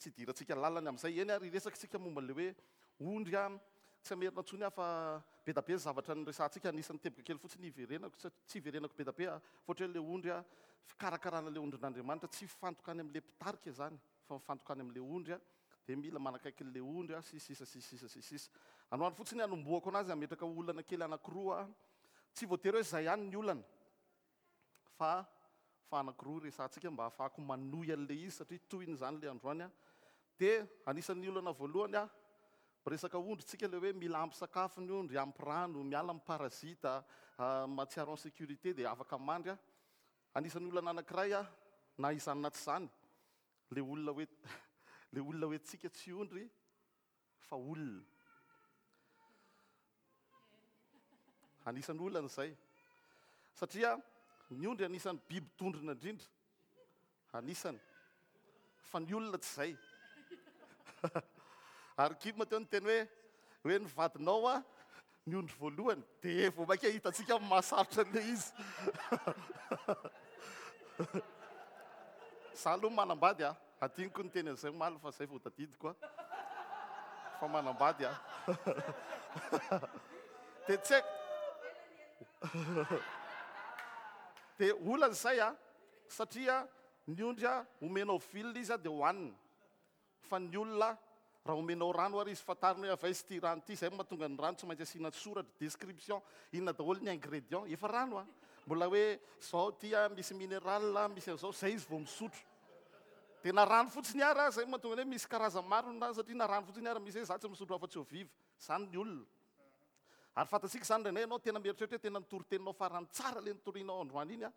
Tsy idirantsika lalina ny amin'izay. Eny ary hiresaka isika momba ilay hoe ondry an. Tsy hamerina intsony aho fa be da be ny zavatra niresahantsika. Anisan'ny teboka kely fotsiny hiverenako, tsy hiverenako be da be fa ohatra hoe ilay ondry an, fikarakarana ilay ondrin'Andriamanitra, tsy hifantoka any amin'ilay mpitarika izany fa mifantoka any amin'ilay ondry an, dia mila manakaiky an'ilay ondry an, sy ny sisa sy ny sisa sy ny sisa. Androany fotsiny hanombohako anazy hametraka olana kely anankiroa aho. Tsy voatery hoe izay ihany ny olana. Fa fa anankiroa resahantsika mba hahafahako manohy an'ilay izy satria tohiny izany ilay androany an. Dia anisan'ny olana voalohany an, miresaka ondry tsika ilay hoe mila ampy sakafo ny ondry, ampy rano, miala amin'ny parasite, mahatsiaro en sécurité dia afaka mandry an. Anisan'ny olana anankiray an, na izany na tsy izany, ilay olona hoe ilay olona hoe tsika tsy ondry fa olona. Anisan'ny olana izay. Satria ny ondry anisan'ny biby dondrona indrindra. Anisany. Fa ny olona tsy izay. Ary Kim teo niteny hoe hoe ny vadinao a ny ondry voalohany dia vao mainka hitantsika ny mahasarotra an'ilay izy. Za aloha manambady a. Adinoko niteny an'izay omaly fa izay vao tadidiko a. Fa manambady aho. Dia tsy haiko. Dia olana izay a, satria ny ondry a, omenao vilona izy a dia hohaniny. Fa ny olona, raha omenao rano ary izy, fantariny hoe avy aiza ity rano ity, izay no mahatonga ny rano tsy maintsy asiana soratra, description, inona daholo ny ingrédients, efa rano a. Mbola hoe izao ity a, misy minéral, misy an'izao, izay izy vao misotro. Dia na rano fotsiny ara, izay no mahatonga ny hoe misy karazany maro ny rano satria na rano fotsiny ara misy hoe za tsy misotro afa-tsy eau vive. Izany ny olona. Ary fantatsika izany indraindray ianao tena mieritreritra hoe tena ny toriteninao farany tsara ilay nitorianao androany iny an,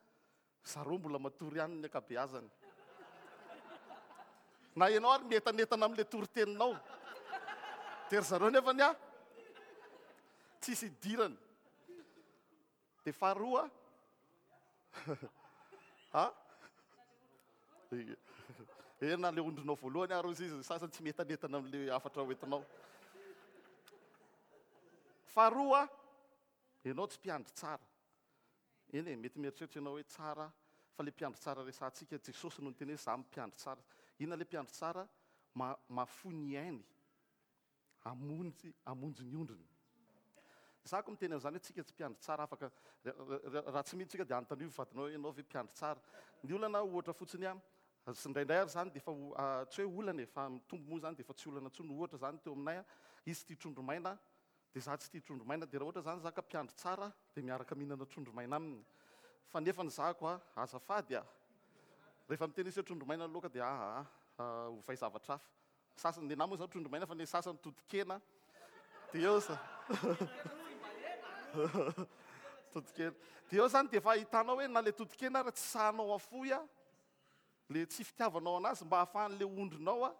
zareo mbola matory ihany ny ankabeazany. Na ianao ary mientanentana amin'ilay toriteninao. Dia ry zareo nefany an, tsisy idirany. Dia faharoa a Eh, na le ondrinao voalohany ary ozy izy, ny sasany tsy mietanetana amin'le hafatra hoentinao. Faharoa, ianao tsy mpiandry tsara. Eny e, mety mieritreritra ianao hoe tsara, fa le mpiandry tsara resahantsika, Jesosy no niteny hoe za mpiandry tsara. Inona le mpiandry tsara? Mahafoy ny ainy Hamonjy, hamonjy ny ondriny. Za ko miteny an'izany hoe tsika tsy mpiandry tsara afaka, raha tsy mino tsika dia anontanio ny vadinao hoe ianao ve mpiandry tsara. Ny olana ohatra fotsiny an, indraindray ary zany dia efa tsy hoe olana e, fa mitombo moa zany dia efa tsy olana intsony, ohatra zany teo aminay an, izy tia trondro maina dia za tsy tia trondro maina, dia raha ohatra zany za ka mpiandry tsara dia miaraka mihinana trondro maina aminy, fa nefa ny zako an, azafady a, rehefa miteny izy hoe trondro maina ny laoka dia aa ovay zavatra hafa. Sasany, ny anah moa zany trondro maina fa ny sasany totokena dia eo za totokena dia eo zany dia efa ahitanao hoe na le totokena ary tsy sahanao afoy a le tsy fitiavanao anazy mba ahafahan'le ondrinao a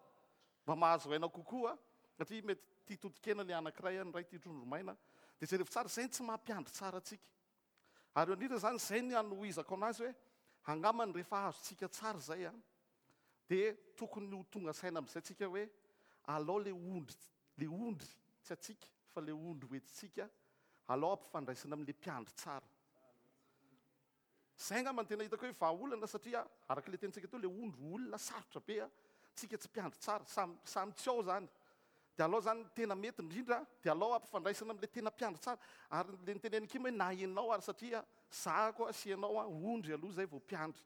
mba mahazo aina kokoa satria mety tia totokena le anankiray a ny iray tia trondro maina dia jerevo tsara izay ny tsy mampiandry tsara antsika ary eo indrindra zany izay ny anohizako anazy hoe angambany rehefa azontsika tsara izay a Dia tokony ho tonga saina amin'izay tsika hoe alao le ondry, le ondry tsy antsika fa le ondry ho entintsika, alao ampifandraisina amin'le mpiandry tsara. Izay angamba no tena hitako hoe vahaolana satria araka le tenintsika teo le ondry olona sarotra be a, tsika tsy mpiandry tsara, samy samy tsy ao zany. Dia alao zany ny tena mety indrindra dia alao ampifandraisina amin'le tena mpiandry tsara. Ary le nitenen'i Kim hoe na ianao ary satria zahako sy ianao ondry aloha zay vao mpiandry.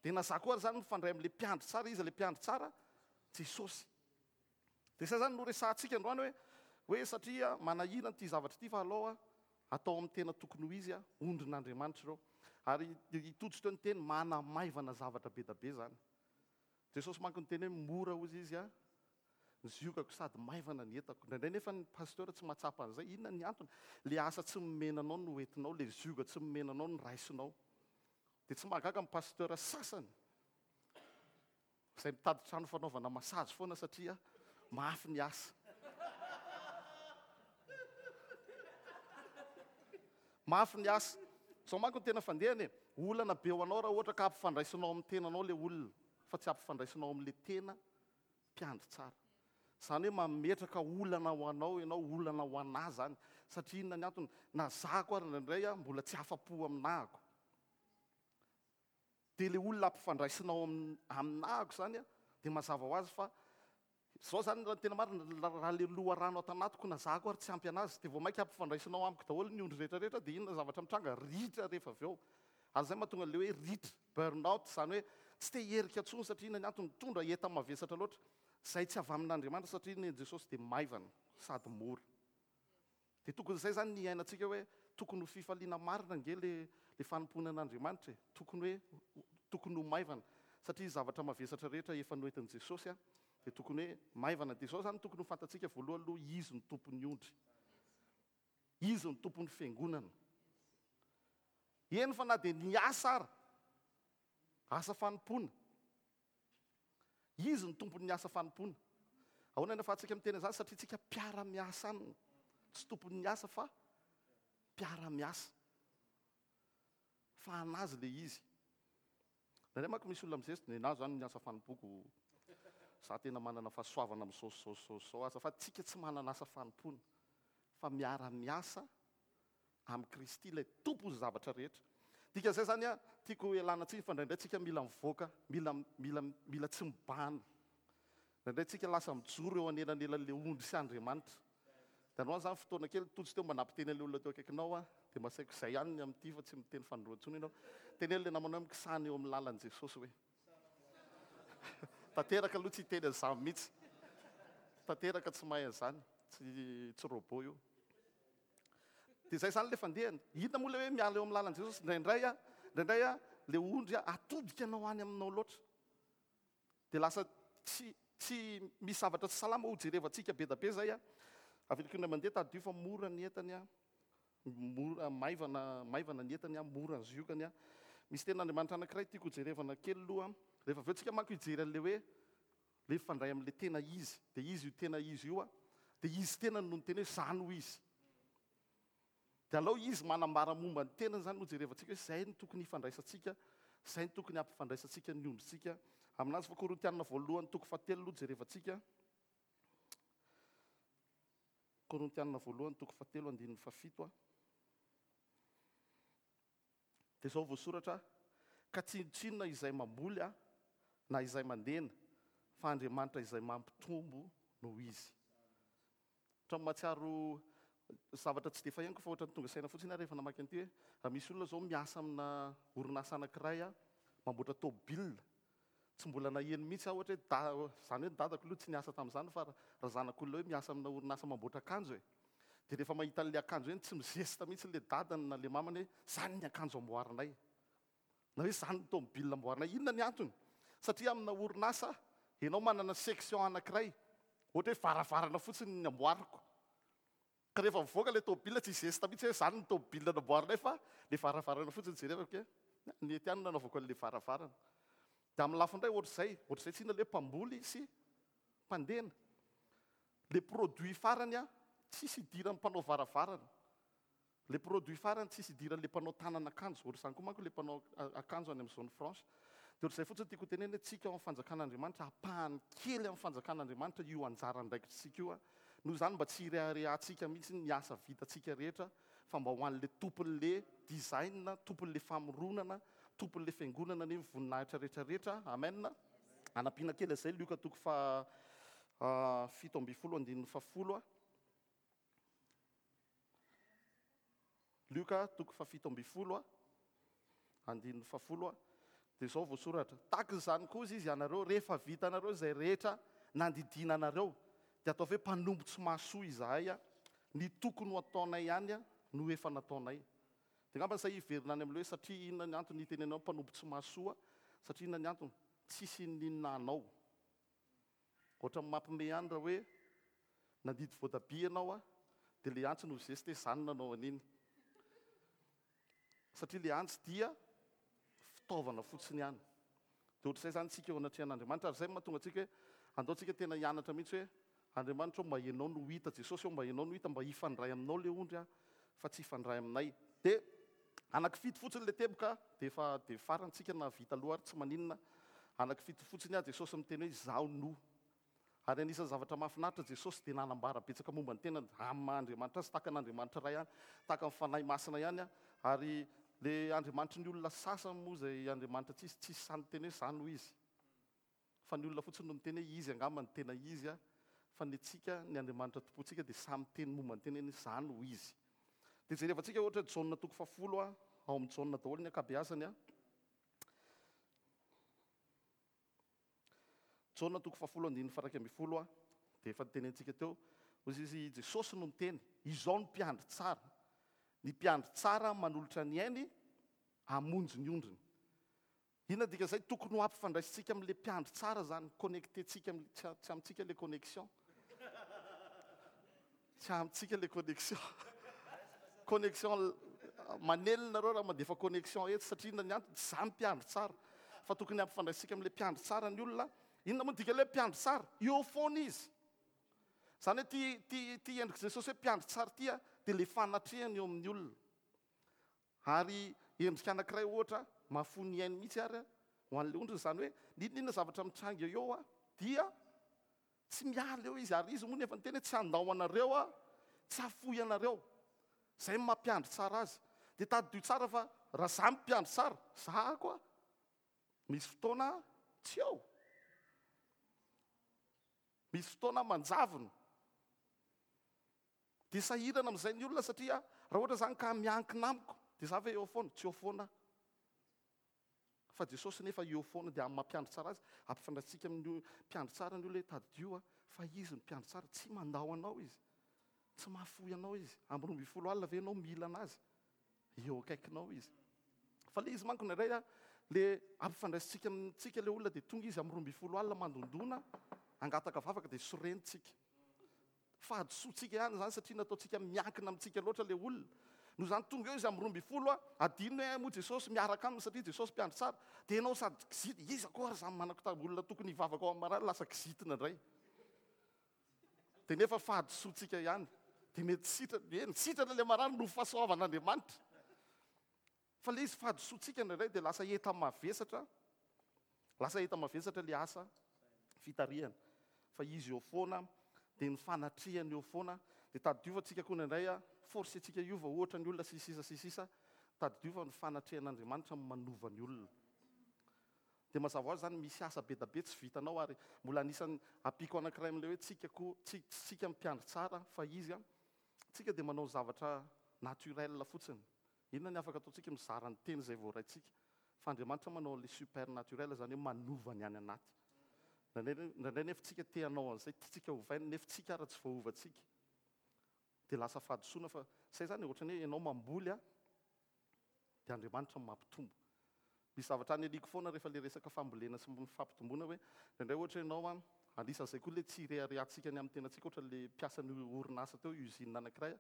Dia na za koa ary zany mifandray amin'ilay mpiandry tsara, iza ilay mpiandry tsara? Jesosy. Dia izay zany no resahantsika androany hoe hoe satria manahirana ity zavatra ity fa alao atao amin'ny tena tokony ho izy, ondrin'Andriamanitra ireo. Ary i Tojo teo niteny manamaivana zavatra be da be zany. Jesosy manko niteny hoe mora hozy izy ny ziogako sady maivana ny entako. Indraindray nefa ny pasteur tsy mahatsapa an'izay. Inona ny antony? Le asa tsy nomena anao no entinao, le zioga tsy nomena anao no raisinao. Dia tsy mahagaga ny pasteur sasany izay mitady trano fanaovana massage foana satria mafy ny asa. Mafy ny asa. Izao manko ny tena fandehany e. Olana be ho anao raha ohatra ka ampifandraisinao amin'ny tenanao ilay olona fa tsy ampifandraisinao amin'ilay tena mpiandry tsara. Izany hoe mametraka olana ho anao ianao, olana ho anà izany. Satria inona ny antony? Na zahako ary indraindray aho mbola tsy afa-po aminahako. Dia ilay olona ampifandraisinao aminahako izany dia mazava ho azy fa Zao zany raha ny tena marina, raha le loharano ato anatiko na za koa ary tsy ampy anazy, dia vao mainka ampifandraisinao amiko daholo ny ondry rehetra rehetra, dia inona zavatra mitranga? Ritra rehefa avy eo. Ary zay mahatonga an'le hoe ritra, burn out, zany hoe tsy te hierika intsony satria inona ny antony? Mitondra enta-mavesatra loatra, zay tsy avy amin'Andriamanitra satria ny an'i Jesosy dia maivana sady mora. Dia tokony izay izany ny hiainantsika hoe tokony ho fifaliana marina ange le le fanompoana an'Andriamanitra e! Tokony hoe tokony ho maivana satria zavatra mavesatra rehetra efa noentin'i Jesosy a dia tokony hoe maivana. Dia izao izany tokony ho fantatsika voalohany aloha Izy no tompon'ny ondry. Izy no tompon'ny fiangonana. Eny fa na dia ny asa ara, asa fanompoana. Izy no tompon'ny asa fanompoana. Ahoana no ahafahantsika miteny an'izany? Satria tsika mpiara-miasa aminy. Tsy tompon'ny asa fa mpiara-miasa. Fa an'azy ilay izy. Indraindray manko misy olona mizesta, nenahy izany ny asa fanompoako, za tena manana fahasoavana amin'izao sy izao sy izao sy izao aza. Fa tsika tsy manana asa fanompoana fa miara-miasa amin'i Kristy ilay Tompon'ny zavatra rehetra. Dikan'izay izany an, tiako hialana tsiny fa indraindray tsika mila mivoaka, mila, mila, mila tsy mibahana. Indraindray tsika lasa mijoro eo anelanelan'ilay ondry sy Andriamanitra. Dia androany izany fotoana kely, tojo teo mba nampiteny an'ilay olona teo akaikinao aho, dia mba saiko izay ihany ny amin'ity fa tsy miteny fanindroany intsony ianao. Teneno ilay namanao hoe mikisahana eo amin'ny lalan'i Jesosy hoe. Tanteraka aloha tsy hiteny an'izany mihitsy. Tanteraka tsy mahay an'izany, tsy, tsy robot io. Dia izay izany ilay fandehany. Inona moa ilay hoe miala eo amin'ny lalan'i Jesosy? Indraindray a, indraindray a, ilay ondry a, atodika anao any aminao loatra. Dia lasa tsy, tsy misy zavatra tsy salama ho jerevantsika be da be izay a. Averiko indray mandeha, tadidio fa mora ny entany a, mora, maivana, maivana ny entany a, mora ny ziokany a. Misy tenin'Andriamanitra anankiray tiako hojerevana kely aloha. Rehefa avy eo tsika manko hijery an'ilay hoe Ilay mifandray amin'ilay tena izy, dia izy io tena izy io, dia izy tenany no niteny hoe za no izy. Dia alao izy manambara momba ny tenany izany no jerevantsika hoe izay no tokony hifandraisantsika, izay no tokony hampifandraisantsika ny ondrintsika aminazy. Fa Korintianina voalohany toko fahatelo aloha jerevantsika. Korintianina voalohany toko fahatelo andininy fahafito. Dia izao voasoratra, Ka tsinontsinona izay mamboly aho, na izay mandena, fa Andriamanitra izay mampitombo no izy. Ohatran'ny mahatsiaro zavatra tsy dia fahenoko fa ohatran'ny tonga saina fotsiny aho rehefa namaky an'ity hoe, raha misy olona izao miasa amina orinasa anankiray mamboatra tômôbila, Tsy mbola naheno mihitsy aho ohatra hoe da, izany hoe ny dadako aloha tsy niasa tamin'izany fa raha zanak'olona hoe miasa amina orinasa mamboatra akanjo e. Dia rehefa mahita an'ilay akanjo eny tsy mizesta mihitsy ilay dadany na ilay mamany hoe izany ny akanjo amboarinay. Na hoe izany ny tomobile amboarinay. Inona ny antony? Satria amina orinasa ianao manana section anankiray, ohatra hoe varavarana fotsiny ny amboariko. Ka rehefa mivoaka ilay tômôbila tsy zesta mihitsy hoe izany ny tômôbila namboarinay fa ilay varavarana fotsiny jerevako hoe nety ihany no nanaovako an'ilay varavarana. Dia amin'ny lafiny iray ohatr'izay, ohatr'izay tsinona ilay mpamboly sy mpandena. Ilay produit farany an, tsisy idiran'ny mpanao varavarana. Ilay produit farany tsisy idiran'ilay mpanao tanana akanjo, ohatr'izany koa manko ilay mpanao akanjo any amin'ny zone franche. Dia ohatr'izay fotsiny tiako hotenenina hoe tsika ao amin'ny fanjakan'Andriamanitra, ampahany kely amin'ny fanjakan'Andriamanitra io anjara andraikitritsika io. Noho izany mba tsy hireharehantsika mihitsy ny asa vitantsika rehetra fa mba ho an'ilay tompon'ilay design, tompon'ilay famoronana, tompon'ilay fiangonana anie ny voninahitra rehetra rehetra. Amen. Anampiana kely an'izay Lioka toko faha 17 andininy fahafolo. Lioka toko fahafito ambin'ny folo andininy fahafolo dia izao voasoratra, Tahaka izany koa izy ianareo, rehefa vitanareo izay rehetra nandidiana anareo, dia ataovy hoe mpanompo tsy mahasoa izahay, ny tokony ho ataonay ihany no efa nataonay. Dia angamba izay hiverina any amin'ilay hoe satria inona ny antony hitenenao mpanompo tsy mahasoa, satria inona ny antony? Tsisy n'inona anao. Ohatran'ny mampime ihany raha hoe nandidy voatabia ianao a, dia le antsy no zeste hoe za no nanao an'iny. Satria le antsy dia fitaovana fotsiny ihany. Dia ohatr'izay izany tsika eo anatrehan'Andriamanitra, ary izay no mahatonga antsika hoe andao tsika tena hianatra mihitsy hoe Andriamanitra ô mba ianao no hita, Jesosy ô mba ianao no hita, mba hifandray aminao le ondry a, fa tsy hifandray aminay. Dia anaky fito fotsiny le teboka dia efa dia farany tsika na vita aloha ary tsy maninona. Anaky fito fotsiny aho Jesosy miteny hoe izaho no. Ary anisan'ny zavatra mahafinaritra Jesosy dia nanambara betsaka momba ny tenany amin'ny maha Andriamanitra azy, tahaka an'Andriamanitra Ray ihany, tahaka ny Fanahy Masina ihany. Ary le Andriamanitry ny olona sasany moa izay Andriamanitra tsisy, tsisy sahy niteny hoe izaho no izy. Fa ny olona fotsiny no miteny hoe izy angamba no tena izy a. Fa ny antsika, ny Andriamanitra tompontsika dia samy miteny momba ny tenany hoe za no izy. Dia jerevantsika ohatra Jaona toko fahafolo a, ao amin'ny Jaona daholo ny ankabeazany a. Jaona toko fahafolo andininy faha-11 a, dia efa notenenintsika teo, hoy izy, i Jesosy no niteny, izao no mpiandry tsara, ny mpiandry tsara manolotra ny ainy hamonjy ny ondriny. Inona ny dikan'izay? Tokony ho ampifandraisintsika amin'ilay mpiandry tsara izany, connecter-tsika amin'ny, tsy, tsy amintsika ilay connexion. Tsy amintsika ilay connexion. Connexion manelina nareo raha mandefa connexion eto satria inona ny antony? Tsy za mpiandry tsara. Fa tokony hampifandraisintsika amin'ilay mpiandry tsara ny olona. Inona moa ny dikan'ilay hoe mpiandry tsara? Eo foana izy. Izany hoe ity, ity, ity endrik'i Jesosy hoe mpiandry tsara ity dia ilay fanatrehany eo amin'ny olona. Ary endrika anankiray ohatra mahafoy ny ainy mihitsy ary ho an'ilay ondriny, izany hoe n'inon'inona zavatra mitranga eo dia tsy miala eo izy, ary izy moa nefa niteny hoe tsy handao anareo aho, tsy hahafoy anareo. Izay no maha mpiandry tsara azy. Dia tadidio tsara fa raha za mpiandry tsara, za koa misy fotoana tsy eo. Misy fotoana manjavona. Dia sahirana amin'izay ny olona satria raha ohatra izany ka miankina amiko dia za ve eo foana? Tsy eo foana aho. Fa Jesosy nefa eo foana dia amin'ny maha mpiandry tsara azy, ampifandraisintsika amin'ny mpiandry tsara ny olona hoe tadidio a, fa izy no mpiandry tsara, tsy mandao anao izy, tsy mahafoy anao izy. Amin'ny 12 alina ve ianao mila an'azy? Eo akaikinao izy. Fa le izy manko indraindray a, le ampifandraisintsika amintsika le olona dia tonga izy amin'ny 12 alina mandondona, hangataka vavaka dia sorentsika. Fahadisoantsika ihany izany satria nataontsika miankina amintsika loatra ilay olona. Noho izany tonga eo izy amin'ny 12 a, adino hoe moa Jesosy miaraka aminy satria Jesosy mpiandry tsara. Dia ianao sady kizitina, iza koa ary izany manako olona tokony hivavaka ao amin'ny marary lasa kizitina indray. Dia nefa fahadisoantsika ihany. Dia mety sitrana, eny sitrana ilay marary noho fahasoavan'Andriamanitra. Fa ilay izy fahadisoantsika indraindray dia lasa enta-mavesatra, lasa enta-mavesatra ilay asa fitarihana. Fa izy eo foana, dia ny fanatrehany eo foana, dia tadidio fa tsika koa indraindray a, forcer-tsika hiova ohatra ny olona sy ny sisa sy ny sisa, tadidio fa ny fanatrehan'Andriamanitra no manova ny olona. Dia mazava ho azy izany misy asa be da be tsy vitanao ary mbola anisan'ny ampiako anankiray amin'ilay hoe tsika koa, tsy tsika mpiandry tsara fa izy a, tsika dia manao zavatra naturel fotsiny. Inona ny afaka ataontsika? Mizara ny teny izay voaraintsika. Fa Andriamanitra manao an'ilay supernaturel, izany hoe manova ny any anaty. Indraindray, indraindray nefa tsika te hanao an'izay, tiantsika hovaina, nefa tsika ara tsy voaovantsika. Dia lasa fahadisoana fa izay izany e, ohatran'ny hoe ianao mamboly a, dia Andriamanitra no mampitombo. Misy zavatra aniliako foana rehefa ilay resaka fambolena sy ny fampitomboana hoe, indraindray ohatra ianao an, anisan'izay koa ilay tsy ireharehantsika ny amin'ny tenantsika, ohatra ilay mpiasan'ny orinasa teo, usine anankiray,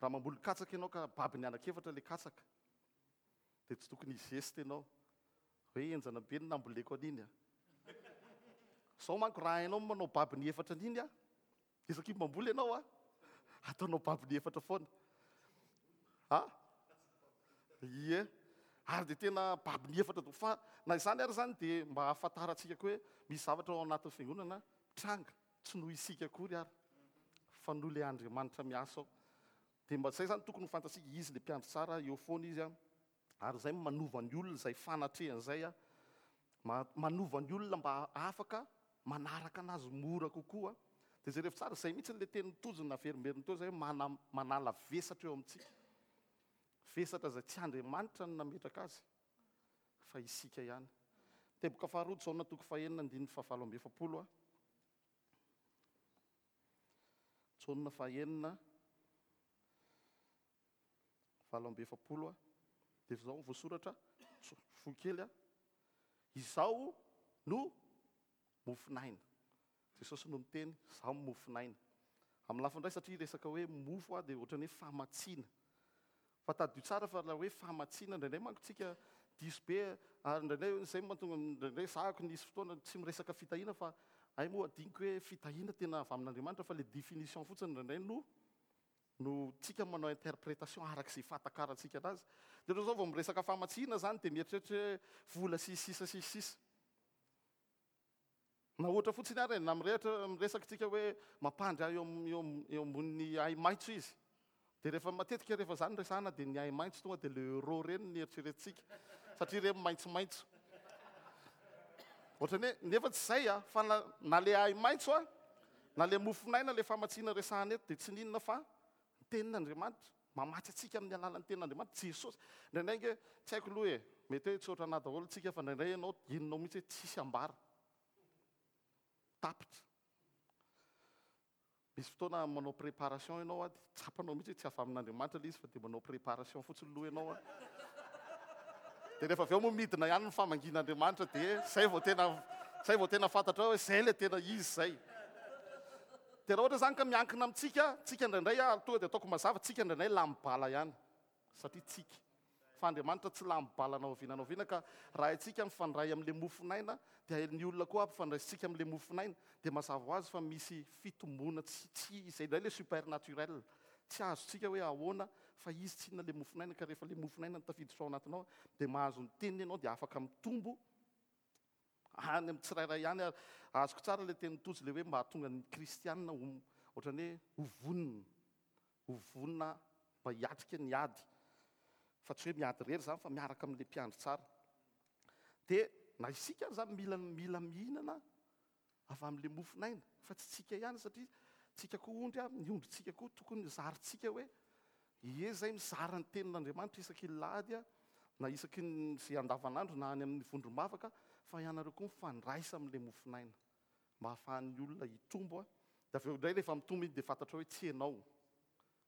raha mamboly katsaka ianao ka babiny anankiefatra ilay katsaka, dia tsy tokony hi-geste ianao hoe henjana be ny namboleko an'iny an. Izao manko raha hainao ny manao babiny efatra an'iny an, Isaky ny mamboly ianao a, ataonao babony efatra foana. A? Ie. Ary dia tena babony efatra daholo. Fa na izany ary izany dia mba ahafantarantsika koa hoe misy zavatra ao anatin'ny fiangonana tranga, tsy noho isika akory ary, fa noho ilay Andriamanitra miasa ao. Dia mba izay izany tokony ho fantatsika, izy ilay mpiandry tsara, eo foana izy a. Ary izay no manova ny olona, izay fanatrehana izay, manova ny olona mba afaka manaraka anazy mora kokoa. Dia jerevo tsara, izay mihitsy ilay teny Tojo naverimberiny teo izay hoe manala vesatra eo amintsika. Vesatra izay tsy Andriamanitra no nametraka azy, fa isika ihany. Teboka faharoa, Jaona toko fahenina andininy fahavalo amby efapolo. Jaona fahenina. 48 a, dia izao no voasoratra, fohy kely a, Izaho no mofon'aina. Jesosy no miteny, Izaho no mofon'aina. Amin'ny lafiny iray satria resaka hoe mofo dia ohatran'ny hoe famatsiana. Fa tadidio tsara fa ilay hoe famatsiana indraindray manko tsika diso be ary indraindray izay no mahatonga indraindray zahako nisy fotoana tsy miresaka fitahiana fa hay moa adinoko hoe fitahiana tena avy amin'Andriamanitra fa ilay définition fotsiny indraindray no no tsika manao interprétation araka izay fahatakarantsika anazy. Dia ohatran'izao vao miresaka famatsiana izany dia mieritreritra hoe vola sy sisa sy sisa. Na ohatra fotsiny ary e, na mirehatra miresaka tsika hoe mampandry ahy eo eo eo ambonin'ny ahi-maitso izy. Dia rehefa matetika rehefa izany resahana dia ny ahi-maitso tonga dia le euro ireny no eritreretintsika satria ireny maitsomaitso. Ohatran'ny hoe, nefa tsy izay a, fa na, na le ahi-maitso a, na le mofon'aina, le famatsiana resahana eto dia tsy n'inona fa ny tenin'Andriamanitra. Mamatsy antsika amin'ny alalan'ny tenin'Andriamanitra, Jesosy. Indraindray ange, tsy haiko aloha e, mety hoe tsy ohatranà daholo tsika fa indraindray ianao henonao mihitsy hoe tsisy ambara. Tapitra. Misy fotoana manao préparation ianao a, dia tsapanao mihitsy hoe tsy avy amin'Andriamanitra ilay izy fa dia manao préparation fotsiny aloha ianao a. Dia rehefa avy eo moa midina ihany ny famangian'Andriamanitra dia izay vao tena izay vao tena fantatrao hoe izay ilay tena izy izay. Dia raha ohatra izany ka miankina amintsika, tsika indraindray a, tonga dia ataoko mazava, tsika indraindray lany bala ihany satria tsika. Fa Andriamanitra tsy lany bala na oviana na oviana ka raha haintsika mifandray amin'ilay mofon'aina dia ny olona koa ampifandraisintsika amin'ilay mofon'aina dia mazava ho azy fa misy fitomboana tsy tsy izay indray ilay supernaturel tsy azontsika hoe ahoana fa izy tsinona ilay mofon'aina ka rehefa ilay mofon'aina no tafiditra ao anatinao dia mahazo ny teniny ianao dia afaka mitombo any amin'ny tsirairay ihany ary azoko tsara ilay tenin'i Tojo ilay hoe mba hahatonga ny kristianina ho ohatran'ny hoe ho vonona ho vonona mba hiatrika ny ady fa tsy hoe miady irery izany fa miaraka amin'ilay mpiandry tsara. Dia na isika ary izany mila mila mihinana avy amin'ilay mofon'aina fa tsy tsika ihany satria tsika koa ondry a, ny ondrintsika koa tokony zarintsika hoe ie zay mizara ny tenin'Andriamanitra isaky ny lahady a, na isaky ny izay andavanandro na any amin'ny vondrom-bavaka fa ianareo koa mifandraisa amin'ilay mofon'aina mba hahafahan'ny olona hitombo a, dia avy eo indray rehefa mitombo iny dia fantatrao hoe tsy ianao,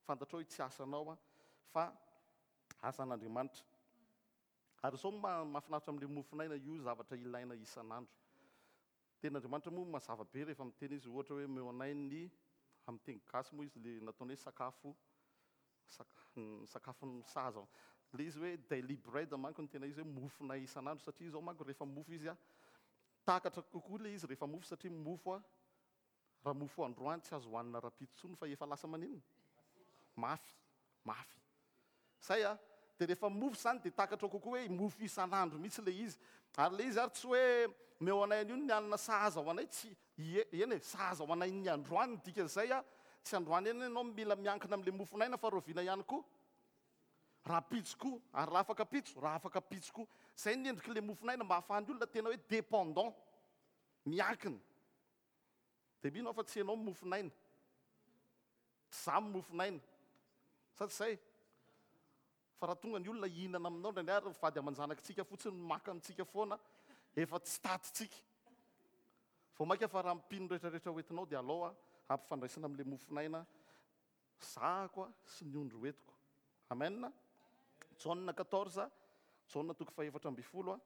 fantatrao hoe tsy asanao a, fa asan'Andriamanitra. Ary izao no mahafinaritra amin'ilay mofon'aina, io zavatra ilaina isan'andro. Tenin'Andriamanitra moa mazava be rehefa miteny izy, ohatra hoe omeo anay ny, amin'ny teny gasy moa izy ilay nataony hoe sakafo, sakafo sahaza. Ilay izy hoe daily bread manko no tena izy hoe mofonay isan'andro, satria izao manko rehefa mofo izy, takatra kokoa ilay izy rehefa mofo satria mofo Raha mofo androany tsy azo hohanina rahampitso intsony fa efa lasa maninona? Mafy, mafy. Zay a! Dia rehefa mofo izany dia takatrao kokoa hoe mofo isan'andro mihitsy ilay izy. Ary ilay izy ary tsy hoe omeo anay an'io ny hanina sahaza ho anay, tsy, ie, eny e, sahaza ho anay ny androany ny dikan'izay a! Tsy androany ihany ianao no mila miankina amin'ilay mofon'aina fa rahoviana ihany koa? Rahampitso koa, ary raha afaka pitso, raha afaka pitso koa. Izay ny endrik'ilay mofon'aina mba ahafahan'ny olona tena hoe dépendant, miankina. Dia mino aho fa tsy ianao no mofon'aina. Tsy izaho no mofon'aina. Sa tsy izay? Fa raha tonga ny olona hihinana aminao indraindray ary ny vady aman-janakitsika fotsiny no maka amintsika foana, efa tsy tatintsika. Vao mainka fa raha mpino rehetrarehetra hoentinao dia alao hampifandraisina amin'ilay mofon'aina zahako sy ny ondry hoentiko. Amen. Jaona 14, Jaona toko fahefatra ambin'ny folo.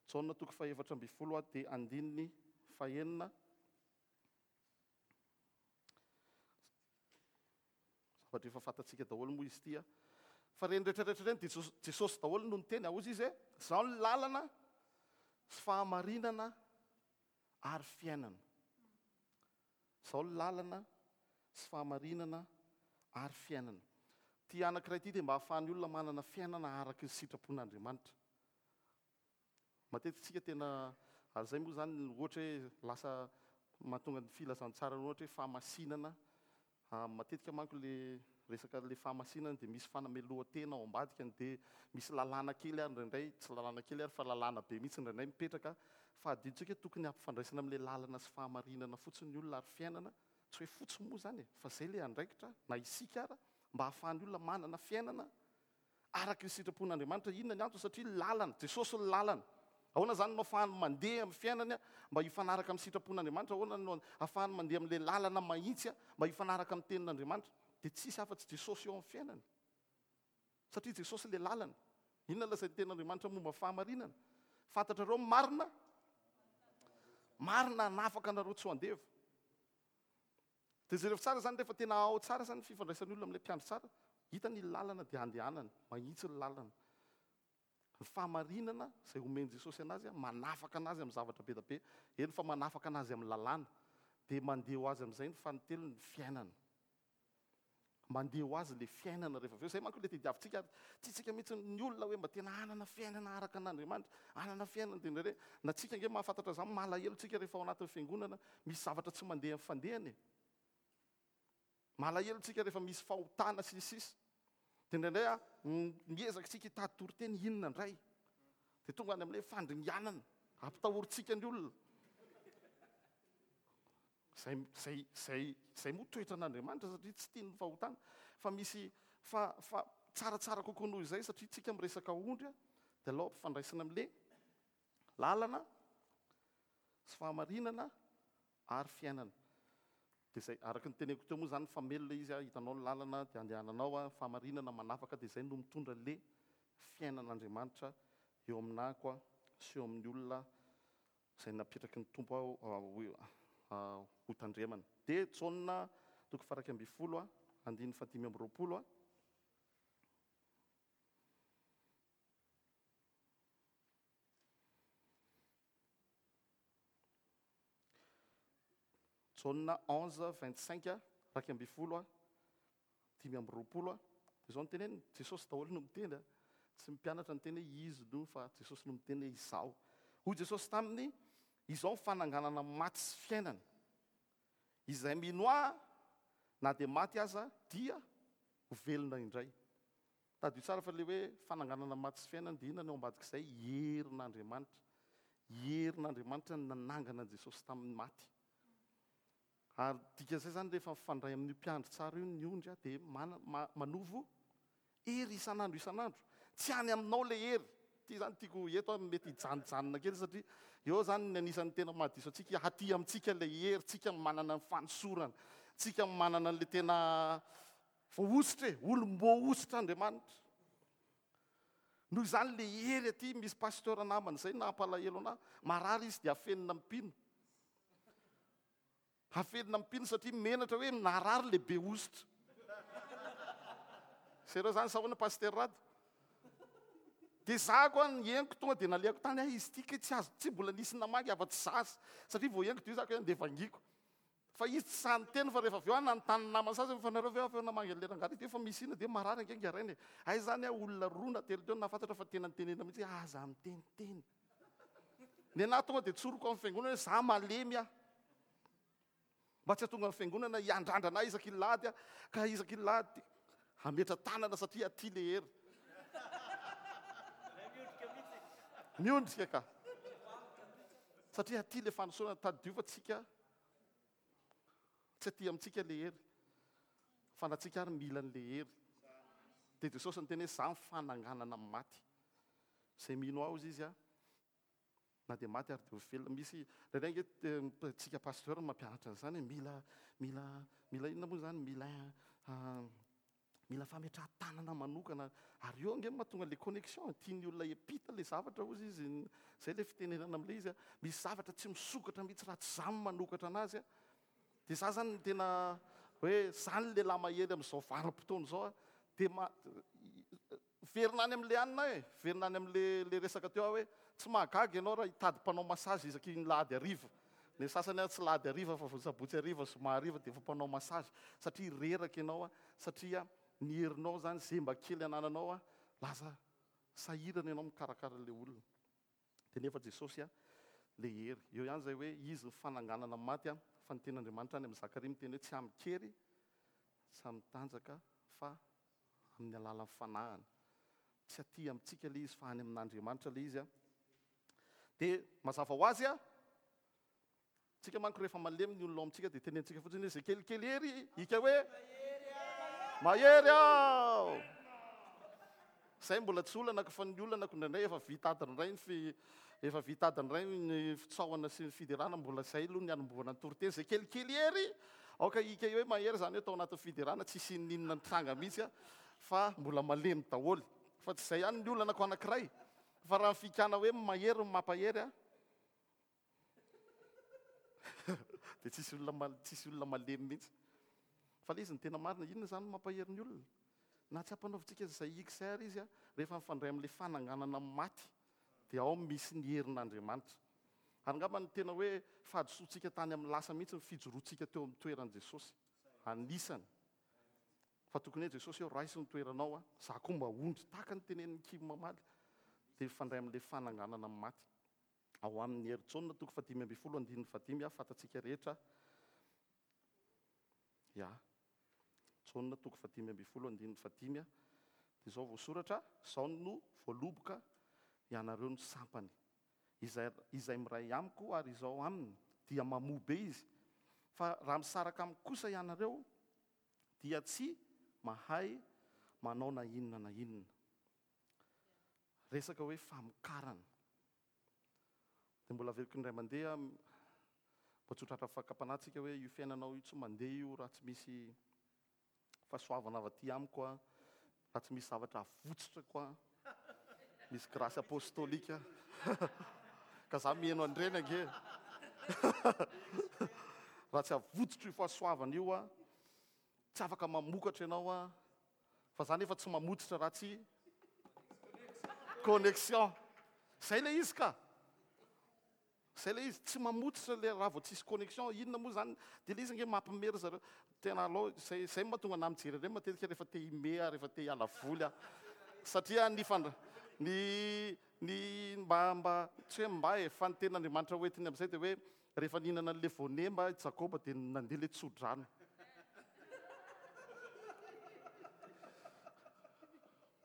Jaona toko fahefatra ambin'ny folo dia andininy fahenina. Zavatra efa fantatsika daholo moa izy ity. Fa ireny rehetra rehetra ireny dia Jesosy daholo no niteny. Ahozy izy hoe, Izaho ny lalana sy fahamarinana ary fiainana. Izao ny lalana sy fahamarinana ary fiainana. Ity anankiray ity dia mba hahafahan'ny olona manana fiainana araka ny sitrapon'Andriamanitra. Matetika isika tena, ary izay moa izany ohatra hoe lasa mahatonga ny filazantsara ohatra hoe fahamasinana Matetika manko le resaka le fahamasinana dia misy fanamelohan-tena ao ambadikany dia misy lalàna kely ary indraindray, tsy lalàna kely ary fa lalàna be mihitsy indraindray mipetraka fa adinontsika hoe tokony hampifandraisana amin'ilay lalana sy fahamarinana fotsiny ny olona ary fiainana, tsy hoe fotsiny moa izany e, fa izay ilay andraikitra na isika ara mba hahafahan'ny olona manana fiainana Araka ny sitrapon'Andriamanitra. Inona ny antony? Satria lalana. Jesosy no lalana. Ahoana izany no ahafahany mandeha amin'ny fiainany mba hifanaraka amin'ny sitrapon'Andriamanitra? Ahoana no ahafahany mandeha amin'ilay lalana mahitsy mba hifanaraka amin'ny tenin'Andriamanitra? Dia tsisy afa-tsy Jesosy eo amin'ny fiainany. Satria Jesosy ilay lalana. Inona lazain'ny tenin'Andriamanitra momba ny fahamarinana? Fantatrareo ny marina? Marina hanafaka anareo tsy ho andevo. Dia jereo tsara izany rehefa tena ao tsara izany ny fifandraisan'ny olona amin'ilay mpiandry tsara, hitany ny lalana dia andehanany, mahitsy ny lalana. Ny fahamarinana izay omen'i Jesosy anazy, manafaka anazy amin'ny zavatra be dia be, eny fa manafaka anazy amin'ny lalàna, dia mandeha ho azy amin'izay ny fanintelony, ny fiainana. Mandeha ho azy ilay fiainana rehefa avy eo. Izay manko ilay tediavintsika ary tiantsika mihitsy ny olona hoe mba tena hanana fiainana araka an'Andriamanitra, hanana fiainana dia indraindray na tsika ange mahafantatra izany, malahelo tsika rehefa ao anatin'ny fiangonana misy zavatra tsy mandeha amin'ny fandehany e. Malahelo tsika rehefa misy fahotana sy ny sisa. Dia indraindray a, miezaka isika hitady toriteny inona indray. Dia tonga any amin'ilay fandringanana, ampitahorintsika ny olona. Izay, izay, izay, izay moa toetran'Andriamanitra satria tsy tiany ny fahotana. Fa misy, fa, fa tsaratsara kokoa noho izay satria tsika miresaka ondry a, dia alao ampifandraisina amin'ilay lalana sy fahamarinana ary fiainana. Dia izay, araka ny teneniko teo moa izany, mifamelona izy, hitanao ny lalana dia andehananao, fahamarinana manafaka dia izay no mitondra le fiainan'Andriamanitra eo aminako sy eo amin'ny olona izay napetraky ny Tompo aho ho tandremana. Dia Jaona toko faha-11 andininy faha-25. Jaona 11, 25, 11, 25, dia izao no teneniny, Jesosy daholo no miteny a, tsy ny mpianatra niteny hoe izy no fa Jesosy no miteny hoe izaho. Hoy Jesosy taminy, izao ny fananganana maty sy fiainana. Izay mino ahy na dia maty aza dia ho velona indray. Tadidio tsara fa ilay hoe fananganana maty sy fiainana dia inona ny ao ambadik'izay? Herin'Andriamanitra. Herin'Andriamanitra no nanangana an'i Jesosy tamin'ny maty. Ary dikan'izay izany rehefa mifandray amin'io mpiandry tsara io ny ondry dia manovo hery isan'andro isan'andro. Tsy any aminao ilay hery. Ity izany tiako eto aho mety hijanojanona kely satria eo izany ny anisan'ny tena mahadiso antsika, aty amintsika ilay hery, tsika manana ny fanosorana, tsika manana an'ilay tena Voahosotra e, olom-boahosotra Andriamanitra. Noho izany le hery aty, misy pasteur namana izay nampalahelo anah, marary izy dia afenina amin'ny mpino. Afenina amin'ny mpino satria menatra hoe narary le be hosotra. Sereo zany sa ahoana pasteur Rado? Dia za koa ny henoko tonga dia nalehako tany, hay izy ity kay tsy azo, tsy mbola nisy namaky afa-tsy zaza. Satria vao henoko dia io za koa hoe andeha vangiko. Fa izy tsy sahy niteny fa rehefa avy eo aho nanontany ny namany sasany fa nareo ve avy eo namangy an'ilay rangahy ity fa misy inona dia marary ange ingahy rainy e. Hay izany aho olona roa na telo teo no nahafantatra fa tena nitenenina mihitsy hoe aza miteniteny. Nenaha tonga dia tsoriko amin'ny fiangonana hoe za malemy aho. Mba tsy hahatonga ny fiangonana hiandrandrana ahy isaky ny lahady aho ka isaky ny lahady hametra tanana satria aty le hery. Miondrika ka. Satria aty le fanosorana tadidio fa tsika Tsy aty amintsika ilay hery, fa na tsika ary mila an'ilay hery. Dia Jesosy niteny hoe, Izaho ny fananganana amin'ny maty. Izay mino ahy, hozy Izy, na dia maty ary dia ho velona. Misy, indraindray ange tsika pasteur no mampianatra an'izany hoe mila, mila, mila inona moa izany, mila Mila fametrahan-tanana manokana ary eo ange no mahatonga le connexion, tian'ny olona hiampita le zavatra hozy izy, zay le fitenenana amle izy a, misy zavatra tsy misokatra mihitsy raha tsy za no manokatra anazy a, de za zany no tena hoe zany le lehilahy mahery am'zao vanim-potoana zao a, de ma-, Miverina any amin'ilay anona aho e, miverina any amin'ilay ilay resaka teo aho hoe tsy mahagaga ianao raha hitady mpanao massage isaky ny lahady hariva. Ny sasany ary tsy lahady hariva fa vao sabotsy hariva, zoma hariva dia efa mpanao massage satria reraka ianao a, satria ny herinao izany izay mba kely anananao a, lasa sahirana ianao mikarakara ilay olona. Dia nefa Jesosy a, ilay hery. Eo ihany izay hoe izy ny fananganana maty a, fa ny tenin'Andriamanitra any amin'i Zakaria miteny hoe tsy amin-kery, tsy amin-tanjaka fa amin'ny alalan'ny fanahiny. Tsy aty amintsika ilay izy fa any amin'Andriamanitra ilay izy. Dia mazava ho azy, tsika manko rehefa malemy ny olona ao amintsika dia tenentsika fotsiny hoe izay kelikely hery hika hoe mahery aho. Izay mbola tsy olana fa ny olana indraindray efa vita adiny iray ny fi, efa vita adiny iray ny fitsaohana sy ny fiderana, mbola izay aloha ny hanombohana ny toriteny, izay kelikely hery, aoka hika hoe mahery izany hoe tao anatin'ny fiderana tsisy inon'inona nitranga mihitsy a, fa mbola malemy daholo. Fa tsy izay ihany ny olana ko anankiray, fa raha ny fikana hoe mahery no mampahery a, dia tsisy olona tsisy olona malemy mihitsy. Fa ilay izy ny tena marina, inona izany no mampahery ny olona? Na tsy ampanaovintsika izay XR izy, rehefa mifandray amin'ilay fananganana amin'ny maty, dia ao misy ny herin'Andriamanitra. Ary angamba ny tena hoe fahadisoantsika tany amin'ny lasa mihitsy ny fijoroantsika teo amin'ny toeran'i Jesosy. Anisany. Fa tokony hoe Jesosy eo, raiso ny toeranao, za koa mba ondry. Tahaka ny tenenin'i Kim mamaly, dia mifandray amin'ilay fananganana amin'ny maty. Ao amin'ny Hery Jaona toko fahadimy ambin'ny folo andininy fahadimy, fantatsika rehetra. Ya. Jaona toko fahadimy ambin'ny folo andininy fahadimy. Dia izao voasoratra, Izao no voaloboka, ianareo no sampany. Izay, izay miray amiko ary izao aminy, dia mamoa be izy. Fa raha misaraka amiko kosa ianareo, dia tsy mahay manao na inona na inona. Resaka hoe famokarana. Dia mbola averiko indray mandeha, mba tsy ho tratra fakam-panahy tsika hoe io fiainanao io tsy mandeha io raha tsy misy fahasoavana avy aty amiko a, raha tsy misy zavatra avotsitrako a, misy grâce apostolique ka za miheno an'ireny ange raha tsy avotsitro io fahasoavana io a, tsy afaka mamokatra ianao a, fa za nefa tsy mamotsitra raha tsy connexion, zay le izy ka. Zay ilay izy, tsy mamototra ilay raha vao tsisy connexion, inona moa zany, dia ilay izy ange mampime ry zareo, tena alao, zay zay no mahatonga anah mijery an'ireny matetika rehefa te hime aho, rehefa te hiala voly aho, satria ny fandra, ny ny mba mba tsy hoe mba e, fa ny tenin'Andriamanitra ho entiny amin'izay dia hoe rehefa nihinana an'ilay voanemba i Jakoba dia nandeha ilay tso-drano.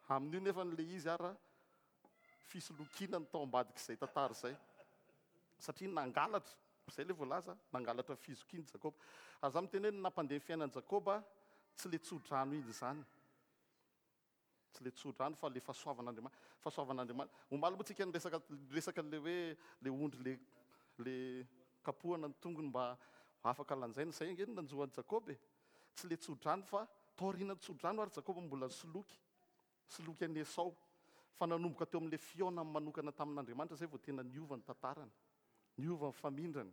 Amin'io nefa ilay izy ara fisolokiana ny tao ambadik'izay tantara izay, satria nangalatra, izay ilay voalaza, nangalatra fizokiana i Jakoba. Ary izaho miteny hoe ny nampandeha ny fiainan'i Jakoba tsy ilay tso-drano iny izany, tsy ilay tso-drano fa ilay fahasoavan'Andriamanitra, fahasoavan'Andriamanitra. Omaly moa tsika niresaka, niresaka an'ilay hoe ilay ondry ilay, ilay kapohana ny tongony mba ho afaka lanjaina, izay ange no nanjo an'i Jakoba e! Tsy ilay tso-drano fa taorian'ny tso-drano ary Jakoba mbola nisoloky. Soloky an'i Esao, fa nanomboka teo amin'ilay fihaonany manokana tamin'Andriamanitra izay vao tena niova ny tantarany, niova ny famindrany.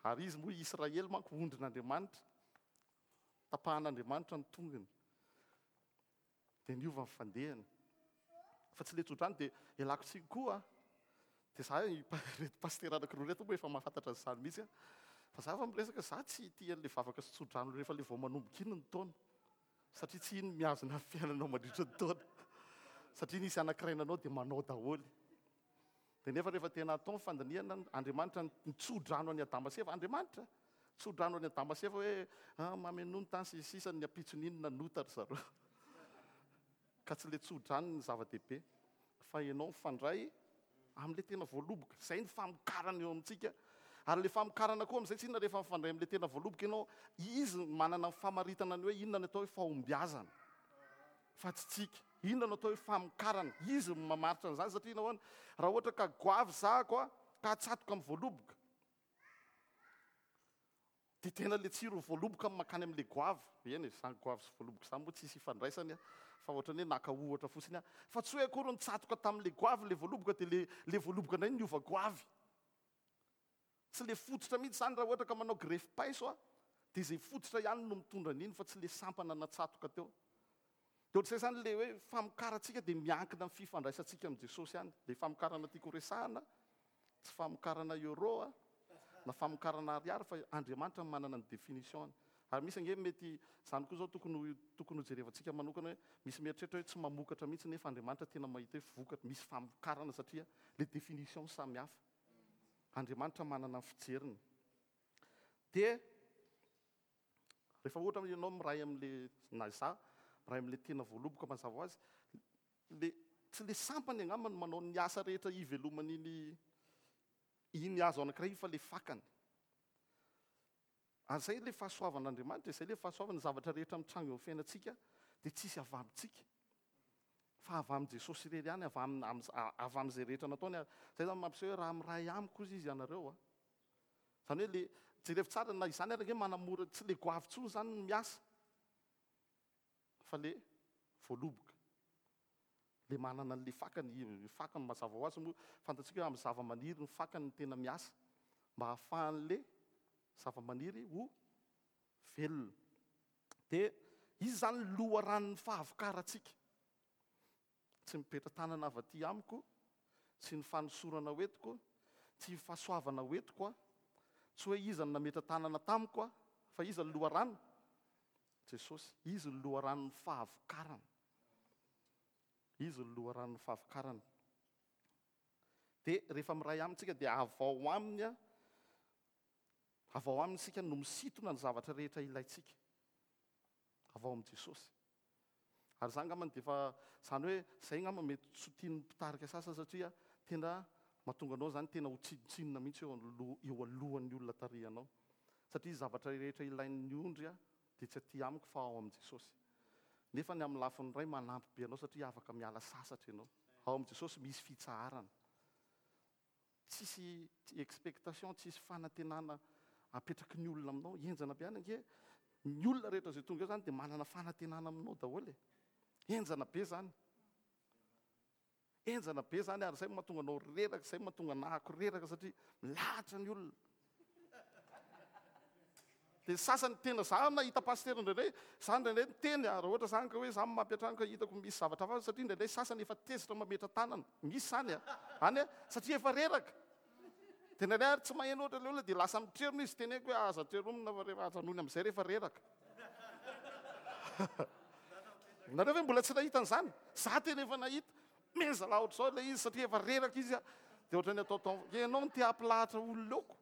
Ary izy moa Israely manko ondrin'Andriamanitra, tapahan'Andriamanitra ny tongony, dia niova ny fandehany. Fa tsy ilay tsodrano dia ialako tsiny koa, dia za ireto pasitera anankiroa ireto moa efa mahafantatra an'izany mihitsy, fa za efa miresaka, za tsy tia an'ilay vavaka sy tsodrano rehefa ilay vao manomboka iny ny taona. Satria tsy iny mihazona ny fiainanao mandritra ny taona. Satria nisy anankiray nanao dia manao daholo. Dia nefa rehefa tena atao ny fandinihana, Andriamanitra nitso-drano an'i Adama sy Eva. Andriamanitra nitso-drano an'i Adama sy Eva hoe ah, mamenoa ny tany sy ny sisa, ny ampitson'iny nanota ry zareo. Ka tsy ilay tso-drano ny zava-dehibe, fa ianao mifandray amin'ilay tena voaloboka. Izay ny famokarana eo amintsika. Ary ilay famokarana koa amin'izay tsy inona rehefa mifandray amin'ilay tena voaloboka ianao, izy no manana ny famaritana ny hoe inona no atao hoe fahombiazana fa tsy tsika. Inona no atao hoe famokarana? Izy no mamaritra an'izany satria nahoana? Raha ohatra ka goavy zahako ka atsatoka amin'ny voaloboka, Dia tena le tsiro voaloboka no mankany amin'le goavy. Eny e, izany goavy sy voaloboka izany moa tsisy ifandraisany fa ohatran'ny hoe naka ohatra fotsiny aho. Fa tsy hoe akory nitsatoka tamin'le goavy le voaloboka dia le le voaloboka indray niova goavy. Tsy le fototra mihitsy izany raha ohatra ka manao grefy paiso aho dia izay fototra ihany no mitondra an'iny fa tsy le sampana natsatoka teo. Dia ohatr'izay izany le hoe famokarantsika dia miankina amin'ny fifandraisantsika amin'i Jesosy ihany. Le famokarana tiako horesahana Tsy famokarana euro a, na famokarana ariary fa Andriamanitra no manana ny définition-ny. Ary misy ange mety, izany koa izao tokony ho tokony ho jerevantsika manokana hoe misy mieritreritra hoe tsy mamokatra mihitsy nefa Andriamanitra tena mahita hoe vokatra, misy famokarana satria le définition samy hafa. Andriamanitra manana ny fijeriny. Dia rehefa ohatra ianao miray amin'le na izaho miray amin'le tena voaloboka mazava ho azy, Le tsy le sampany angamba no manao ny asa rehetra hiveloman'iny iny hazo anankiray iny fa le fakany. Ary zay le fahasoavan'Andriamanitra, izay le fahasoavana, ny zavatra rehetra mitranga eo amin'ny fiainantsika dia tsisy avy amintsika fa avy amin'i Jesosy irery ihany, avy amin'ny, avy amin'izay rehetra nataony. Ary zay zany mampiseho hoe raha miray amiko ozy izy ianareo a. Zany hoe le jerevo tsara na izany ary ange manamora, tsy le goavy intsony zany ny miasa. Fa le voaloboka, le manana an'le fakany, io fakany mazava ho azy moa fantatsika hoe amin'ny zava-maniry ny fakany no tena miasa mba hahafahan'le zava-maniry ho velona. Dia izy izany loharanon'ny fahavokarantsika. Tsy mipetra-tanana avy aty amiko, tsy ny fanosorana ho entiko, tsy ny fahasoavana ho entiko aho, tsy hoe iza no nametra-tanana tamiko aho, fa iza no loharano? Jesosy. Izy no loharanon'ny fahavokarana. Izy no loharanon'ny fahavokarana. Dia rehefa miray aminy tsika dia avy ao aminy, avy ao aminy isika no misintona ny zavatra rehetra ilaintsika. Avy ao amin'i Jesosy. Ary izany angambany dia efa, izany hoe izay angamba mety tsy ho tian'ny mpitarika sasany satria tena mahatonga anao izany tena ho tsinontsinona mihitsy eo aloha, eo alohan'ny olona tarihanao. Satria zavatra rehetra ilain'ny ondry dia tsy aty amiko fa ao amin'i Jesosy. Nefa ny amin'ny lafiny iray manampy be anao satria afaka miala sasatra ianao. Ao amin'i Jesosy misy fitsaharana. Tsisy expectation, tsisy fanantenana apetraky ny olona aminao. Henjana be any ange, ny olona rehetra izay tonga eo izany dia manana fanantenana aminao daholo e. Henjana be izany. Henjana be izany ary izay no mahatonga anao reraka, izay no mahatonga anahako reraka satria milahatra ny olona. Dia ny sasany tena za nahita pasitera indraindray, za indraindray niteny raha ohatra zany ka hoe za mampiantrano ka hitako misy zavatra hafa satria indraindray sasany efa tezitra mametra-tanana, misy zany a, any a, satria efa reraka. Dia indraindray ary tsy maheno ohatra ilay olona dia lasa mitrerona izy, teneniko hoe aza treromina fa rehefa ajanony amin'izay rehefa reraka. Nareo ve mbola tsy nahita an'izany? Za tena efa nahita. Meza laha ohatr'izao ilay izy satria efa reraka izy a. Dia ohatran'ny atao tao, ianao no te hampilahatra olona eo ko.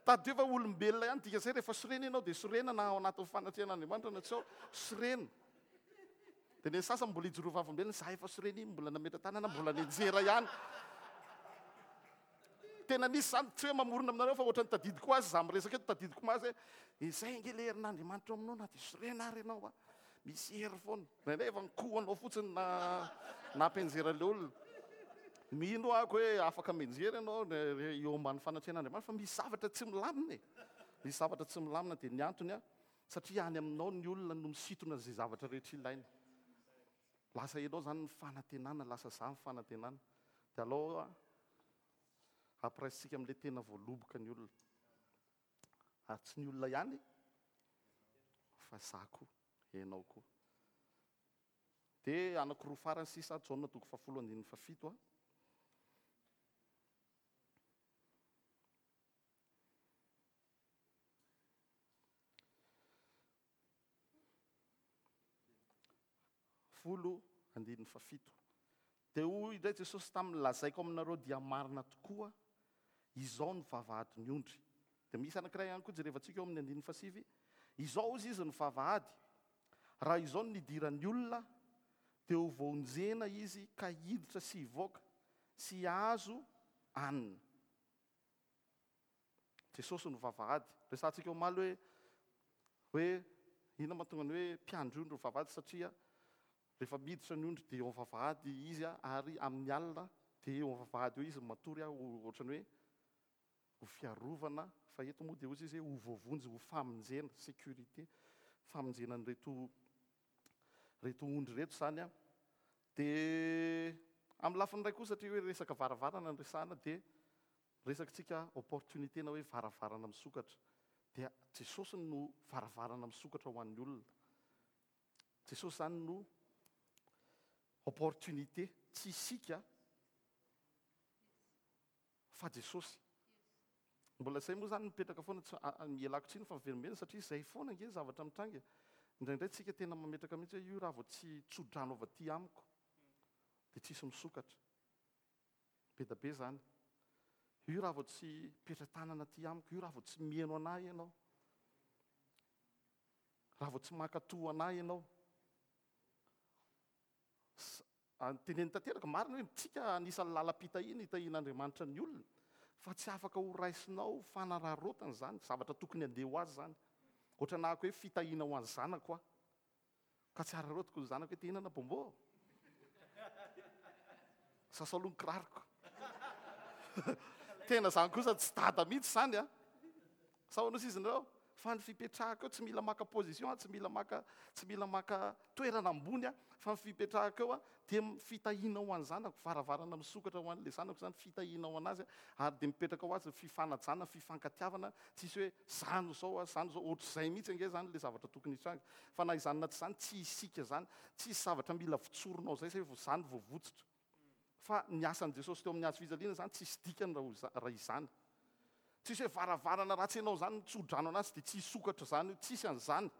Tadidio fa olombelona ihany dika izay rehefa sorena ianao dia sorena na ao anatin'ny fanatrehan'Andriamanitra na tsy ao, sorena. Dia ny sasany mbola hijoro vavolombelona, za efa sorena iny, mbola nametra-tanana, mbola nianjera ihany. Tena nisy izany, tsy hoe mamorona aminareo fa ohatran'ny tadidiko azy, za miresaka eto tadidiko azy hoe izay ange ilay herin'Andriamanitra ao aminao na dia sorena ary ianao a, misy hery foana. Indraindray efa nikohanao fotsiny na nampianjera ilay olona. Mino aho hoe afaka mianjera ianao eo ambany fanatrehan'Andriamanitra fa misy zavatra tsy milamina e. Misy zavatra tsy milamina dia ny antony a, satria any aminao ny olona no misintona izay zavatra rehetra ilainy. Lasa ianao izany ny fanantenana, lasa za ny fanantenana. Dia alao ampiraisintsika amin'ilay tena voaloboka ny olona. Ary tsy ny olona ihany fa za koa, ianao koa. Dia anankiroa farany sisa, Jaona toko fahafolo andininy fahafito a. Folo andininy fahafito. Dia hoy indray Jesosy taminy, Lazaiko aminareo dia marina tokoa, izao no vavahadin'ny ondry. Dia misy anankiray ihany koa jerevantsika eo amin'ny andininy fahasivy, Izao hozy izy ny vavahady, raha izao no nidiran'ny olona, dia ho voaonjena izy ka hiditra sy hivoaka sy hahazo hanina. Jesosy no vavahady. Resahantsika omaly hoe hoe inona mahatonga ny hoe mpiandry ondry ny vavahady satria rehefa miditra ny ondry dia eo amin'ny vavahady izy ary amin'ny alina dia eo amin'ny vavahady eo izy matory ohatran'ny hoe ho fiarovana fa eto moa dia hozy izy hoe ho voavonjy ho famonjena sécurité famonjena an'ireto reto ondry ireto izany an. Dia amin'ny lafiny iray koa satria hoe resaka varavarana no resahana dia Resakitsika opportunité na hoe varavarana misokatra dia Jesosy no varavarana misokatra ho an'ny olona. Jesosy izany no opportunité, tsy isika fa Jesosy. Mbola izay moa izany mipetraka foana, tsy ialako tsiny fa miverimberina satria izay foana ange ny zavatra mitranga e. Indraindray tsika tena mametraka mihitsy hoe io raha vao tsy tso-drano avy aty amiko dia tsisy misokatra. Be da be zany. Io raha vao tsy petra-tanana aty amiko, io raha vao tsy miheno anah ianao. Raha vao tsy mankatò anah ianao. Teneno tanteraka, marina hoe tsika anisan'ny lalam-pitahiana itahian'Andriamanitra ny olona, fa tsy afaka ho raisinao fanararaotana izany, zavatra tokony handeha ho azy izany. Ohatran'ahako hoe fitahiana ho an'ny zanako aho. Ka tsy araraotiko ny zanako hoe te hihinana bonbon. Sasao aloha ny kiraroko. Tena zany kosa tsy dada mihitsy zany a. Sa hono izy nareo? Fa ny fipetrahako eo tsy mila maka position, tsy mila maka tsy mila maka toerana ambony a, fa ny fipetrahako eo a dia fitahiana ho an'ny zanako, varavarana misokatra ho an'ilay zanako zany, fitahiana ho an'azy ary dia mipetraka ho azy ny fifanajana, fifankatiavana, tsisy hoe za no zao a, za no zao, ohatr'izay mihitsy ange zany ilay zavatra tokony hitranga. Fa na izany na tsy izany, tsy isika izany, tsisy zavatra mila votsorinao izay zay vao izany vao votsitra. Fa ny asan'i Jesosy teo amin'ny hazo fijaliana izany tsisy dikany raha izany. Tsisy hoe varavarana ratsy ianao izany mitsodrano anazy dia tsy hisokatra izany io, tsisy an'izany.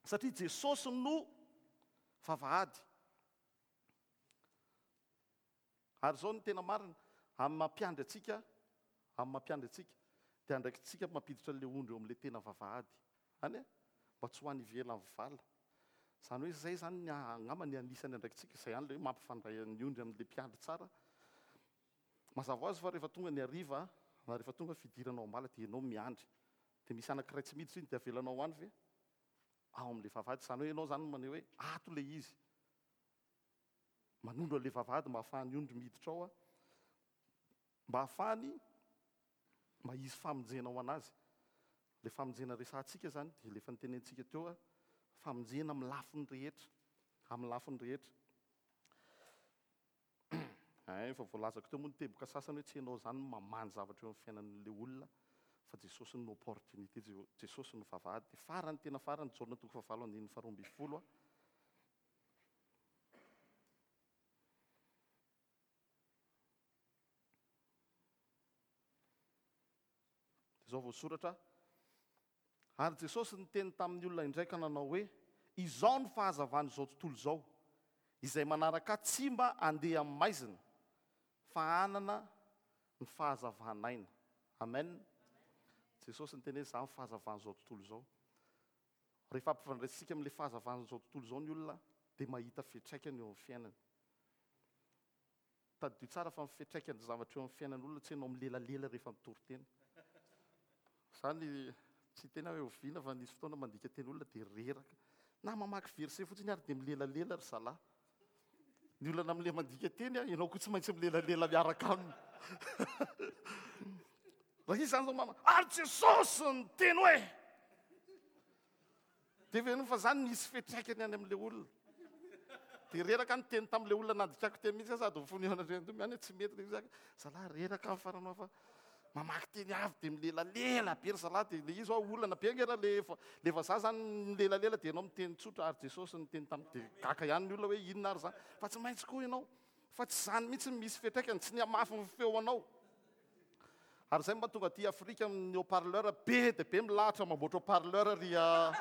Satria Jesosy no vavahady. Ary izao no tena marina, amin'ny maha mpiandry antsika, amin'ny maha mpiandry antsika, dia andraikitsika mampiditra an'ilay ondry eo amin'ilay tena vavahady. Any e? Mba tsy ho any ivelan'ny vala. Izany hoe izay izany ny angamba ny anisan'ny andraikitsika, izay ihany ilay hoe mampifandray ny ondry amin'ilay mpiandry tsara. Mazava ho azy fa rehefa tonga ny hariva na rehefa tonga ny fidirana ao am-bala dia ianao miandry. Dia misy anankiray tsy miditra iny dia avelanao any ve? Ao amin'ilay vavahady. Izany hoe ianao izany no maneho hoe ato ilay izy. Manondro an'ilay vavahady mba hahafahan'ny ondry miditra ao mba hahafahany mba hisy famonjena ho an'azy. Ilay famonjena resahantsika izany dia ilay efa notenentsika teo, famonjena amin'ny lafiny rehetra, amin'ny lafiny rehetra. Ein, efa voalazako teo moa ny teboka sasany hoe tsy ianao izany no mamaha ny zavatra eo amin'ny fiainan'ilay olona fa Jesosy no opportunité, Jesosy no vavahady. Dia farany tena farany, Jaona toko fahavalo andininy faharoa ambin'ny folo. Dia izao voasoratra, Ary Jesosy niteny tamin'ny olona indray ka nanao hoe, Izao no fahazavan'izao tontolo izao, izay manaraka Ahy tsy mba handeha amin'ny maizina, fa hanana ny fahazavan'aina. Amen. Jesosy niteny hoe, Izaho no fahazavan'izao tontolo izao. Rehefa ampifandraisintsika amin'ilay fahazavan'izao tontolo izao ny olona, dia mahita fiantraikany eo amin'ny fiainany. Tadidio tsara fa ny fiantraikan'ny zavatra eo amin'ny fiainan'olona tsy ianao milelalela rehefa mitory teny. Izany tsy tena hoe oviana fa nisy fotoana mandika teny olona dia reraka. Na mamaky verset fotsiny ary dia milelalela ry zalahy. Ny olana amin'ilay mandika teny, ianao koa tsy maintsy milelalela miaraka aminy. Raha izy izany zao mama, ary Jesosy niteny hoe. Dia heverinao fa zany nisy fiantraikany any amin'ilay olona. Dia reraka niteny tamin'ilay olona nandikako teny mihitsy aho sady mifona eo anatrehan'ny Tompo ihany hoe tsy mety ilay izy. Zalahy reraka aho farany fa mamaky teny avy dia milelalela be ry zalahy dia ilay izy hoa olana be ange raha le le vazaha zany milelalela dia ianao miteny tsotra ary Jesosy niteny tamin'ny dia gaga ihany ny olona hoe inona ary zany fa tsy maintsy koa ianao fa tsy izany mihitsy no misy fiantraikany tsy ny hamafy ny feo anao. Ary izay mba tonga aty Afrika amin'ny haut parleur be dia be milahatra mamboatra haut parleur ry a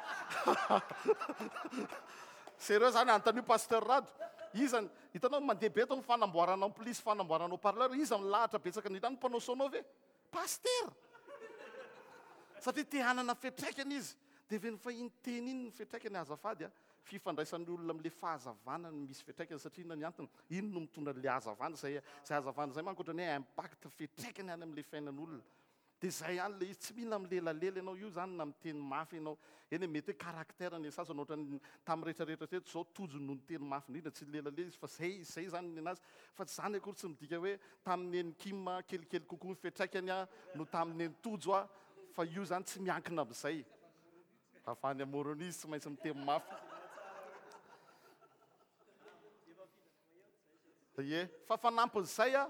Sérieux zany anontanio Pasteur Rado. Iza hitanao mandeha be eto ny fanamboarana ampli sy fanamboarana haut parleur, iza milahatra betsaka indrindra any mpanao sono ve? Pasitera. Satria te hanana fiantraikany izy. Dia ve ny fahiny teny iny ny fiantraikany azafady a. Fifandraisan'ny olona amin'ilay fahazavana no misy fiantraikany satria inona ny antony? Iny no mitondra an'ilay hazavana, izay izay hazavana izay manko ohatran'ny hoe impact, fiantraikany any amin'ilay fiainan'olona. Dia izay ihany ilay izy, tsy mila milelalela ianao, io izany na miteny mafy ianao, eny e, mety hoe caractère ny sasany ohatran'ny tamin'ny rehetrarehetra teto izao Tojo no niteny mafy indrindra, tsy nilelalela izy fa izay izay izany ny an'azy, fa tsy izany akory tsy midika hoe tamin'ny nen'i Kim kelikely kokoa ny fiantraikany no tamin'ny nen'i Tojo fa io izany tsy miankina amin'izay. Avy any Moroni izy tsy maintsy miteny mafy. Ie, fa fanampin'izay a,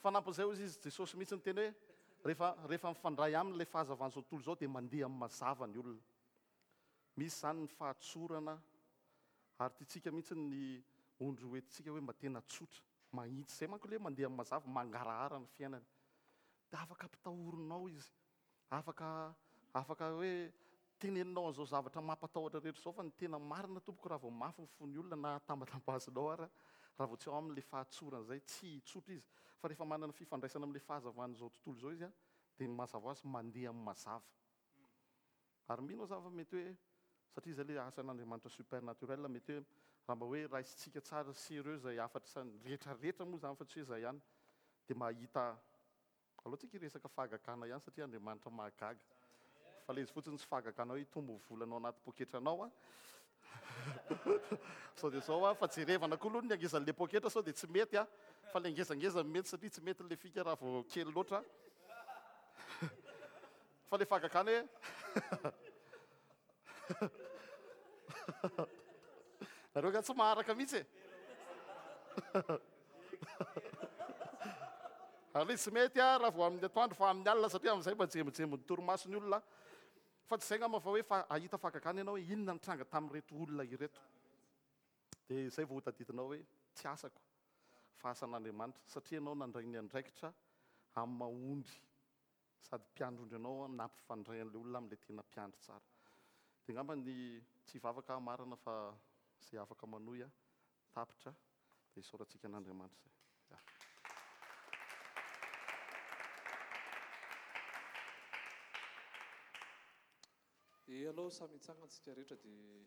fanampin'izay hozy izy, Jesosy mihitsy niteny hoe rehefa rehefa mifandray aminy ilay fahazavan'izao tontolo izao dia mandeha amin'ny mazava ny olona. Misy izany ny fahatsorana ary tiantsika mihitsy ny ondry ho entintsika hoe mba tena tsotra, mahitsy. Izay manko ilay hoe mandeha amin'ny mazava, mangarahara ny fiainany. Dia afaka ampitahorinao izy. Afaka afaka hoe teneninao an'izao zavatra mampatahotra rehetra izao fa ny tena marina tompoko raha vao mafy ny fon'ny olona na tambatambazinao ara raha vao tsy ao aminy ilay fahatsorana izay tsy hitsotra izy fa rehefa manana fifandraisana amin'ilay fahazavan'izao tontolo izao izy a dia ny mazava ho azy mandeha amin'ny mazava. Ary mino aho za fa mety hoe satria izay ilay asan'Andriamanitra supernaturel mety hoe raha mba hoe raisintsika tsara sérieux izay hafatra isany rehetra rehetra moa izany fa tsy hoe izay ihany dia mahita Aleo tsika hiresaka fahagagana ihany satria Andriamanitra mahagaga. Fa le izy fotsiny tsy fahagagana hoe hitombo ny volanao anaty poketranao an. Sao dia zao an, fa jerevana koa aloha ny hangezan'le poketra sao dia tsy mety an. Fa le ngezangeza no mety satria tsy mety le fika raha vao kely loatra. Fa le fahagagana hoe Nareo nga tsy maharaka mihitsy e. Ary tsy mety a raha vao amin'ny atoandro fa amin'ny alina satria amin'izay mba jembojembo ny torimaso ny olona. Fa tsy izay ngamba fa hoe fa ahita fahagagana ianao hoe inona nitranga tamin'ireto olona ireto. Dia izay vao hotadidinao hoe tsy asako fa asan'Andriamanitra satria ianao nandray ny andraikitra amin'ny maha ondry Sady mpiandry ondry anao aho nampifandray an'ilay olona amin'ilay tena mpiandry tsara. Dia angamba ny tsy hivavaka aho marina fa izay afaka manohy aho tapitra dia isaorantsika an'Andriamanitra izay. Ya. E, alao samy hitsangana tsika rehetra dia.